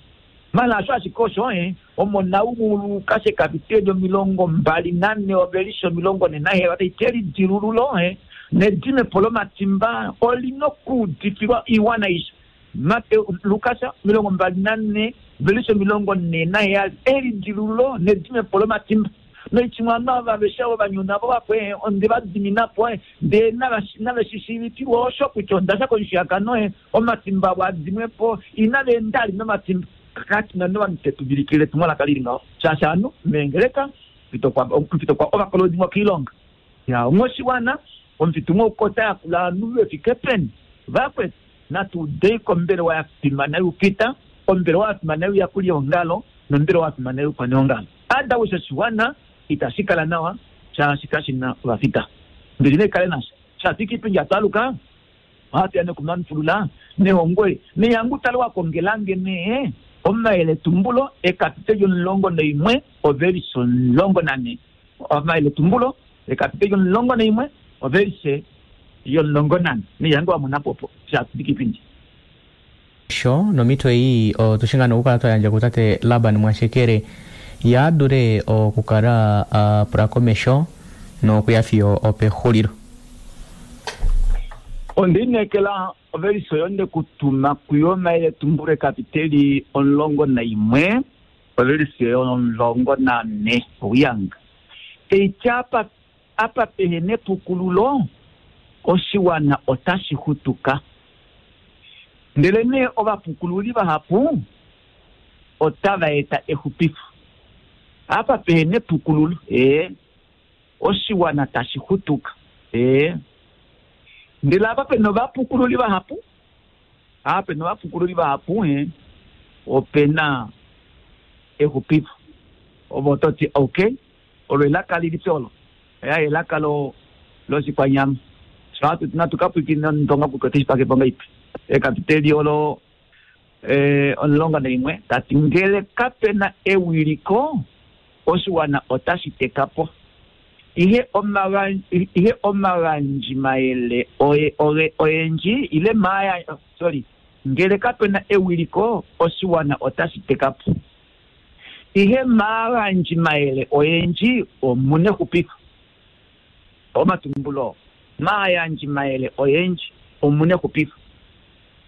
Mala asho ashike osho eh omona umulu kashe kapiteli omilongo mbali nane ovelishe omilongo ne naheyali otaiti elidilululo eh nedimepo lomatimba olina okuudifilwa iwana aishe. Mateo Lukas omilongo mbali nane ovelishe omilongo ne naheyali elidilululo nedimepo lomatimba. Noichimwe ava vesha ovanyuna vo vakwe onde va diminapo ndee nave shishiivifilwa osho kutya ondasha komushiyakano eh omatimba avo adimwepo inava enda ali nomatimba. Katina novanhu tetuvilikile etumwalaka lili ngaho shaashi anu meengeleka omufito kwa ovakolodimwa koilonga ya ongoshiwana omufitu ngouko yakula ovanhu vefike peni vakwetu natuudei kombelewa ya fimana youfita ombelewa ya fimana youyakuli yongalo nombelewa ya fimana youkwaneongalo adawisha oshiwana itashi kala nawa shaashi kashina ovafita mbili neikale nasha shafika ipindi atwaluka ohatuya nekumanufulula nehongo neyangu tale wakongelange nee omayeletumbulo ekapiteli omulongo naimwe ovelise omulongo nane omayeletumbulo ekapiteli omulongo naimwe ovelise yomulongo nane neyangu wamona popo shafika ipindi sho nomito ei otushingana okukala twayandja kutate Laban Mwashekere yaadule okukala apula komesho nokuya fiyo opexulilo. Ondiinekela ovelise oyo ndekutuma kuyo omayeletumbulo ekapiteli omulongo naimwe ovelise omulongo nane ouyanga teiti apa apa pehena epukululo oshiwana otashi xutuka ndele nee ovapukululi vahapu otava eta exupifo. Apa pehena epukululo ee oshiwana tashi xutuka ee ndele apa pena ovapukululi vahapu apa pena ovapukululi vahapu e opena exupifo. Ovo toti okay olo elaka lilipi olo ya elaka lo loshikwanyama sho natu kapwikina ndonga kutya oteshipake ipi ekapiteli olo eh, omulongo naimwe tati ngele kapena ewiliko oshiwana otashi tekapo ihe omagandji ihe omagandjimayele oye oye oyendji ile maya sorry ngele kapena ewiliko oshiwana otashi tekapo ihe maagandjimayele oyendji omuna exupifo omatumbulo maayandjimayele oyendji omuna exupifo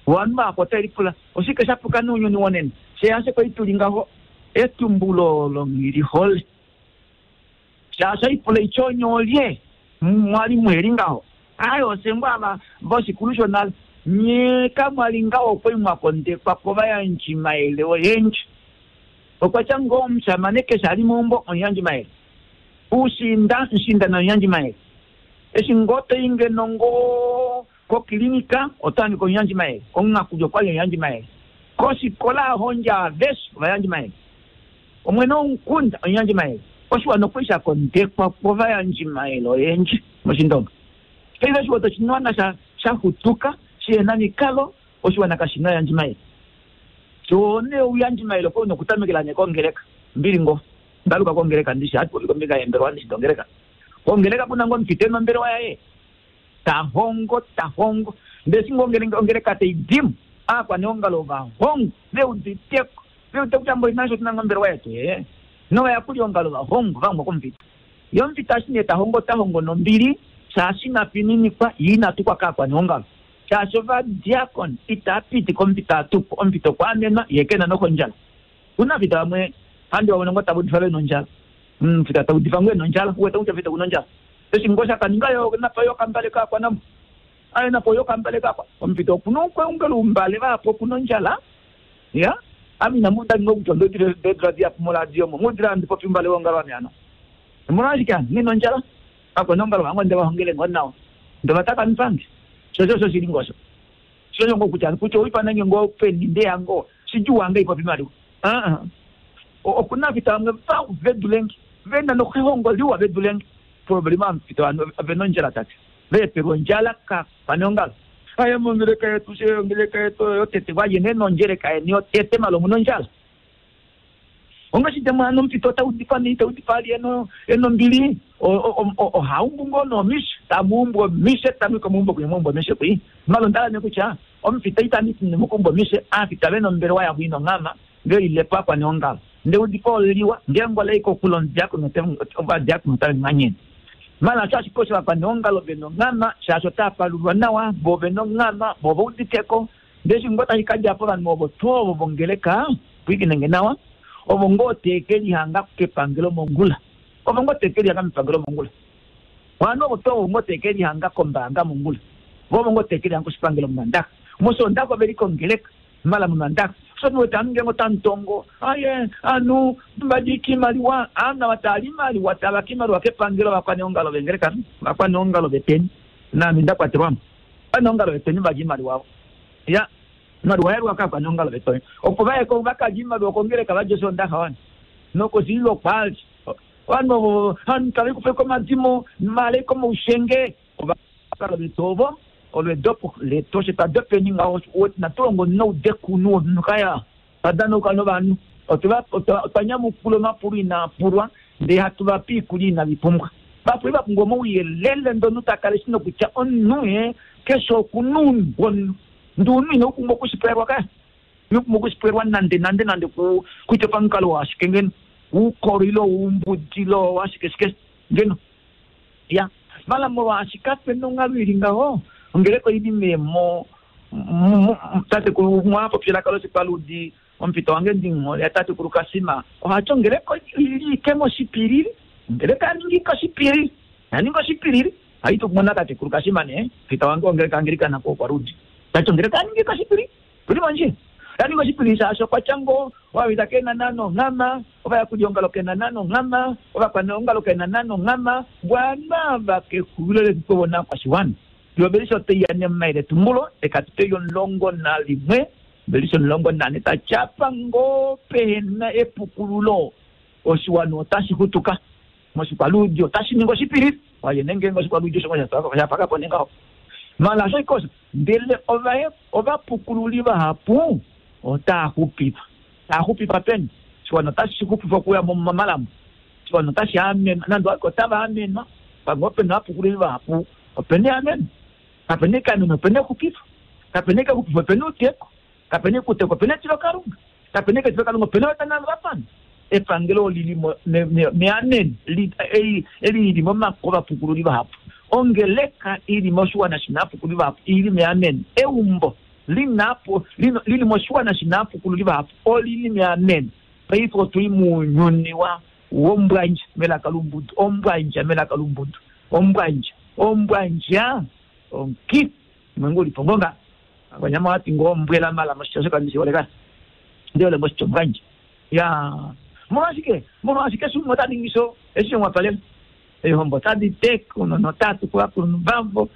vanhu vapo otailipula oshike shapuka nounyuni wonene sheyashe kwaituli ngaho etumbulo olo nghilihole shaashi ipula ityonyolye mwali mweli ngaho ayi osengwa ava voshikulu shonale nye kamwali ngaho okwali mwakondekwa kovayandjimayele oyendji okwatya ngoo omushamane keshe ali meumbo omuyandjimayele ushinda nshinda nomuyandjimayele eshi ngoo toyi ngeno ngoo kokilinika otohangi omuyandjimayele omungakuli okwali omuyandjimayele kosikola ahondja aveshe ovayandjimayele omwene womukunda omuyandjimayele oshiwana okwali shakondekwa kovayandjimayele oyendji moshindonga paife oshiwana oshiwana sha shaxutuka shihena mikalo oshiwana kashina oyandjimayele sho nee ouyandjimayele okwa una okutamekela nee kongeleka mbili ngo ndaluka kongeleka ndishi hati kombinga yembelewa ndishi dongeleka kongeleka kuna ngo omufita ena yaye tahongo tahongo ndesi ngo ongeleka teidimu aakwaneongalo vahongo veuditeko veudite kutya mboli nasho tuna ngombelewa yetu ee novayakuli ongalo vahongo vamwe komufita ye omufita ashi nee tahongo tahongo nombili shaashi inafininikwa ye inatukwa kaakwaneongalo shaashi ovadiakon itapiti komufita atukwa omufita okwa amenwa ye kena nokondjala kuna fita vamwe handi vamwe ngo tavudifa vena ondjala mufita taudifa ngo ena ondjala uwete kutya fita kuna ondjala eshi ngo shakaninga yo napa yo kambale kaakwanamo aye napo yo kambale kaakwa omufita okuna okweungela umbale vapo okuna ondjala ya ame inamu ngo kutya ndodira diapo moradio mo mudira ndipopi umbale wongalo wame ano omolwashike ano nina ondjala akwanongalo vangu ndevahongele ngo nawa ndovatakamifange shosho sho shili ngosho shosho ngo kutya kutya uipanange ngo peni ndeyango shijuwange ipopi maliwa okuna fita vamwe va vedulenge vena nokuhongo liwa vedulenge problema amufita vanhu vena ondjala tate vepelwa ondjala kakwaneongalo aye mongeleka yetu she ongeleka yetu yotete waye nonjeleka yeni yotete malo muna ondjala ongashite mwana omufita otaudifa nei taudifa ali eno enombili ohaumbu ngoo nomishe tamuumbu omishe tamwika muumbo kunya muumbo omishe kwi malo ndala nekutya omufita itamiti nemukumba omishe aafita vena ombelewa yavo ina onghama Velilepo akwaneongalo nde udipo oliwa ngeenge olaiko kulondiakono ovadiakono otave manyene mala sho ashike osho vakwaneongalo vena onghama shaashi otaapalulwa nawa vo vena onghama vo vauditeko ndee eshi ngoo tashi kadjapo ovanhu ovo tuu ovo vongeleka pwiikinenge nawa ovo ngoo teke lihanga kepangelo mongula ovo ngoo teke lihanga mepangelo mongula ovanhu ovo tuu ovo ngoo teke lihanga kombaanga mongula vo ovo ngoo teke lihanga koshipangelo momandaka mosondaka oveli kongeleka mala momandaka so wete anu ngeenge otamutongo aye anu vadika imaliwa anu ava taali imaliwa tavaka imaliwa kepangelo vakwaneongalo vengeleka vakwaneongalo veteni naame ndakwatelwamo vakwaneongalo veteni valya imaliwa avo ya imaliwa yaliwa kakwaneongalo veteni opo vayeko vakalya imaliwa kongeleka vadya oshondaxa wana nokosililo kwali ovanhu ovo anu tavekufeko omadimo maleko moushenge ovakalo vetu ovo olwedopo letoshe twadopeni ngaho natulongo noudekunu womunhu kaya twadanauka novanhu otwa nyamukula omapulo inaapulwa ndee hatu vape iikulya inavipumbwa vapuli vapumbwa omauyelele ndono takala eshi nokutya omunhu e keshe okuna uunhu womunhu ndi unhu ina upumbwa okushipwelwa kaya ina upumbwa okushipwelwa nande nande nande kutya pamukalo washike ngeno uukolo ile oumbudi ile washike shike ngeno ya mala molwaashi kapena onghalo ili ngaho ongeleka oili memo tatekulu mwapopyela loshipaludi omupito wange ndinghole ya tatekulu Kasima ohati ongeleka ili ike moshipilili ongeleka yaninga ike oshipilili yaninga oshipilili haiti okumona tatekulu Kasima nee pita wange ongeleka angelikana ko kwaludi tati ongeleka yaninga ike oshipilili tuli mondjila yaninga oshipilili shaashi okwatya ngoo ovavita kena nonghama ovayakuliongalo kena nonghama ovakwaneongalo kena nonghama bwana vakexulilo lefiku vona kwashiwana yovelisha otaiya nemaile tumbulo ekatuto yomulongo nalimwe velisha omulongo nane tatyapa ngoo pehena epukululo oshiwana otashi xutuka moshikwaludi otashi ningi oshipilili waye nengenge oshikwaludi osho shapakapo nengaho mala sho ikosa ndele ovapukululi vahapu otaaxupifa taaxupifa peni oshiwana otashi xupifa okuya momalambo oshiwana otashi amenwa nande otava amenwa pamwe opena ovapukululi vahapu opena eameno kapena ekameno opena exupifo kapena exupifo opena outeko kapena ekuteko opena etilokalunga kapena etilokalunga opena otanalo vapana epangelo olili meameno eli lili momako ovapukululi vahapu ongeleka ili moshiwana shina apukululi vahapu ili meameno eumbo linapo lili moshiwana shina apukululi vahapu olili meameno paife otuli muunyuni wa wombwandja melaka lumbudu ombwandja melaka lumbudu ombwandja ombwandja onki mwengu ulipo ngonga wanyama wati ngombwela mala moshitya kandishioleka ndiole moshitya ombwandja ya molwashike molwashike sumwe otaningiso eshi mwapalela eihombo tadi teka notatu kuvakulunhu vavo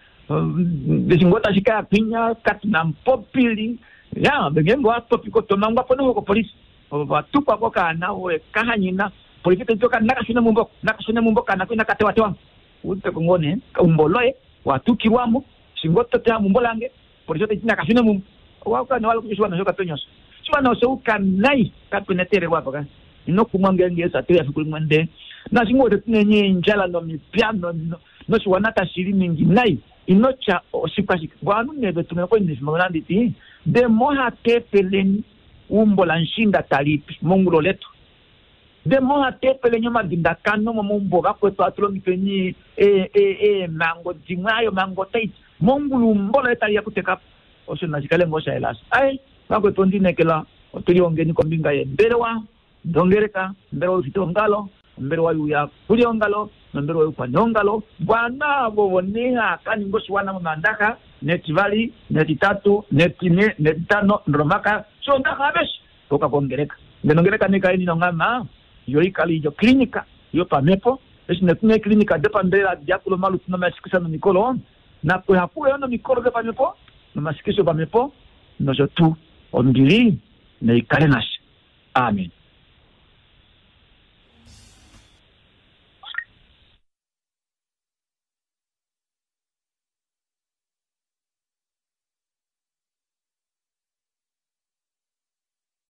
eshi ngoo tashi kaya kwinya katuna mupopili ya ngeenge watopika otomangwapo noho kopolisi vatukwako kaana kahanyina polisi taitoka nakashune mumbo nakashune mumbo kana kwina katewatewa uteko ngoo nee umbo loye watukilwamo shingo toteya mumbo lange polisi otaiti nakashune mumbo wakana wala kuja osho kapenyoso shiwana osho ukanai kapenetelelwapo ka inokumwa ngeenge Yesu atoya fiku limwe nde nashingo otetunenye endjala nomipya noshiwana tashili ningi nai inotya oshikwashike vanhu neve tumene koinifima nanditi demo hatefeleni umbo la nshinda talipi mongulo letu demo hatefeleni omadindakano momaumbo vakwetu atulongifeni eemango dimwe ayo mango taiti mongulu umbo loye taliya kutekapo osho nashikale ngoo shaelasa ai vakwetu ondinekela otulihongeni kombinga yembelewa dongeleka ombelewa youfitaongalo ombelewa youyakuliongalo nombelewa youkwaneongalo bwana avo nee kaninga oshiwana momandaxa netivali netitatu netine netitano nolomaka shondaxa aveshe toka kongeleka ngeno ongeleka nekaeni nonghama yo ikale ilyo klinika yopamhepo eshi netuna eeklinika dopambelela diakula omalutu nomashikisha nomikolo nakuhakulo yo nomikolo dopamhepo nomashikisho opamhepo nosho tuu ombili neikale nashe amen.